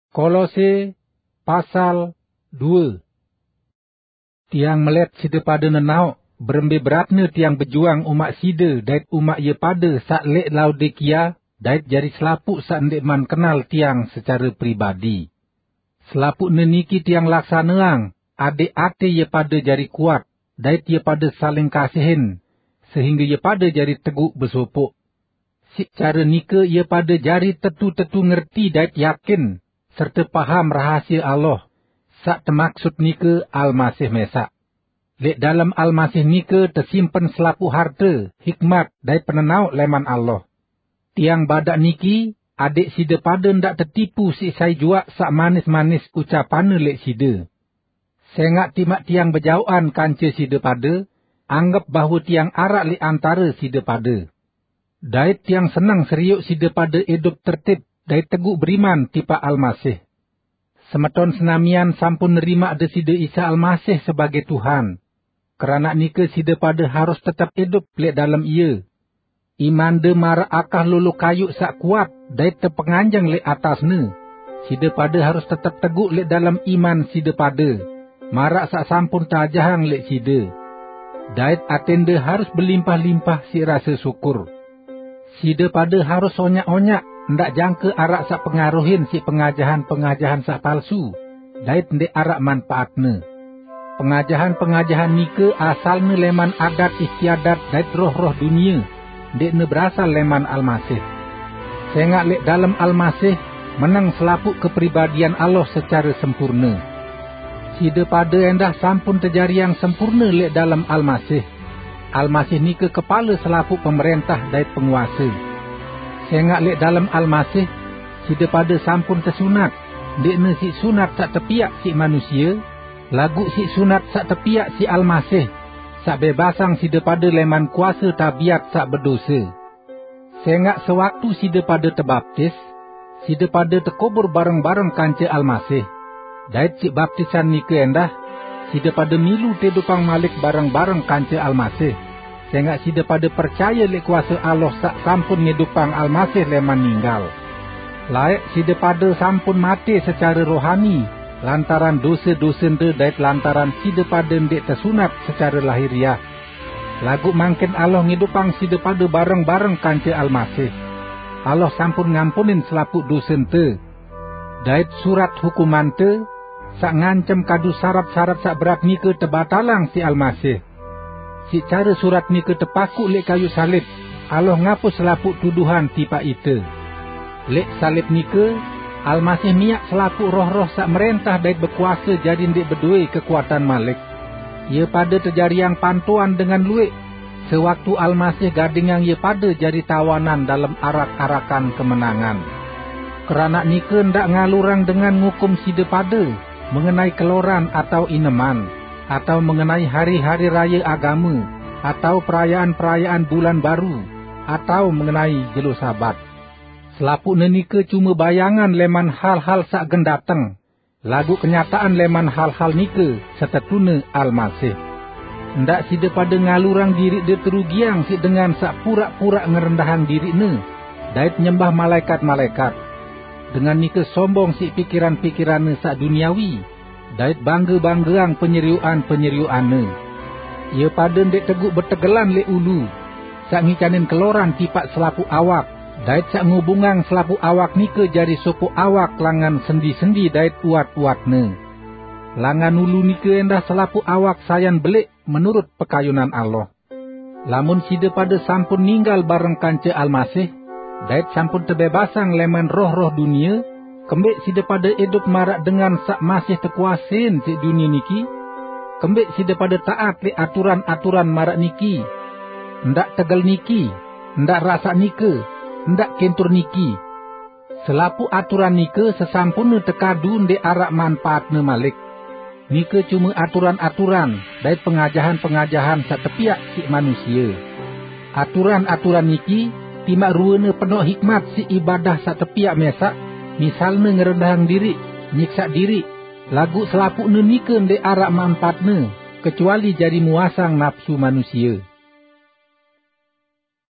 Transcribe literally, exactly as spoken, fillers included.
Kolose pasal due. Tiang melet side pade nenaoq berembe beratne tiang bejuang umaq side dait umaq ie pade saq leq Laodikia dait jari selapuq saq ndeqman kenal tiang secare pribadi. Selapuqne niki tiang laksaneang adeq ate ie pade jari kuat dait ie pade saling kasihin, sehingge ie pade jari teguq besopoq. Siq care nike ie pade jari tetu-tetu ngerti dait yakin, serte paham rahasie Allah, saq temaksut nike Almasih mesaq. Leq dalem Almasih nike tesimpen selapuq harte, hikmat, dait penenaoq leman Allah. Tiang badaq niki, adeq side pade ndaq tetipu siq sai juaq saq manis-manis ucapanne leq side. Sengaq timaq tiang bejaoqan kance side pade, anggep bahwe tiang araq leq antare side pade. Dait tiang seneng serioq side pade idup tertib dait teguq beriman tipaq Almasih. Semeton senamian sampun nerimaq Deside Isa Almasih sebagei Tuhan. Keranaq nike side pade harus tetep idup leq dalem Ie. Imande maraq akah lolo kayuq saq kuat dait tepenganjeng leq atasne. Side pade harus tetep teguq leq dalem iman side pade, maraq saq sampun teajahang leq side. Dait atende harus belimpah-limpah siq rase syukur. Side pade harus onyaq-onyaq, ndaq jangke araq saq pengaruhin siq pengajahan-pengajahan saq palsu, dait ndeq araq manpaatne. Pengajahan-pengajahan nike asalne leman adat istiadat dait roh-roh dunie, ndeqne berasal leman Almasih. Sengaq leq dalem Almasih meneng selapuq kepribadian Allah secare sempurne. Side pade endah sampun tejariang sempurne leq dalem Almasih. Almasih nike kepale selapuq pemerentah dait penguase. Sengaq leq dalem Almasih, side pade sampun tesunat, ndeqne siq sunat saq tepiaq siq manusie, laguq siq sunat saq tepiaq siq Almasih, saq bebasang side pade leman kuase tabiat saq bedose. Sengaq sewaktu side pade tebaptis, side pade tekubur bareng-bareng kance Almasih. Dait siq baptisan nike endah, side pade milu teidupang malik bareng-bareng kance Almasih, sengaq side pade percaye leq kuase Allah saq sampun ngidupang Almasih leman ninggal. Laeq side pade sampun mate secare rohani lantaran dose-dosente dait lantaran side pade ndeq tesunat secare lahiriah. Laguq mangkin Allah ngidupang side pade bareng-bareng kance Almasih. Allah sampun ngampunin selapuq dosente. Dait surat hukumante, saq ngancem kadu sarat-sarat saq berat nike tebatalang siq Almasih. Siq care surat nike tepakuq leq kayu salib, Allah ngapus selapuq tuduhan tipaq ite. Leq salib nike, Almasih miaq selapuq roh-roh saq merentah dait bekuase jari ndeq bedoe kekuatan malik. Ie pade tejariang pantoan dengan lueq, sewaktu Almasih gadingang ie pade jari tawanan dalem arak-arakan kemenangan. Keranaq nike ndaq ngalurang dengan ngukum side pade mengenai keloran atau ineman, atau mengenai hari-hari raye agame, atau perayaan-perayaan bulan baru, atau mengenai jelo Sabat. Selapuqne nike cume bayangan leman hal-hal saq gen dateng, laguq kenyataqan leman hal-hal nike setetune Almasih. Ndaq side pade ngalurang diriqde terugiang siq dengan saq puraq-puraq ngerendahang diriqne dait nyembah malaekat-malaekat. Dengan nike sombong siq pikiran-pikiranne saq duniawi, dait bangge-banggeang penyerioqan-penyerioqanne. Ie pade ndeq teguq betegelan leq ulu, saq ngicanin keloran tipaq selapuq awak, dait saq ngubungang selapuq awak nike jari sopoq awak langan sendi-sendi dait uwat-uwatne. Langan ulu nike endah selapuq awak sayan beleq menurut pekayunan Allah. Lamun side pade sampun ninggal bareng kance Almasih, dait sampun tebebasang leman roh-roh dunie, kembeq side pade idup maraq dengan saq masih tekuasein siq dunie niki? Kembeq side pade taat leq aturan-aturan maraq niki, "Ndaq tegel niki, ndaq rasaq nike, ndaq kintur niki"? Selapuq aturan nike sesampunne tekadu ndeq araq manpaatne malik. Nike cume aturan-aturan dait pengajahan-pengajahan saq tepiaq siq manusie. Aturan-aturan niki timaq ruene penoq hikmat siq ibadah saq tepiaq mesaq, misalne ngerendahang diriq, nyiksaq diriq, laguq selapuqne nike ndeq araq manpaatne, kecuali jari muasang napsu manusie.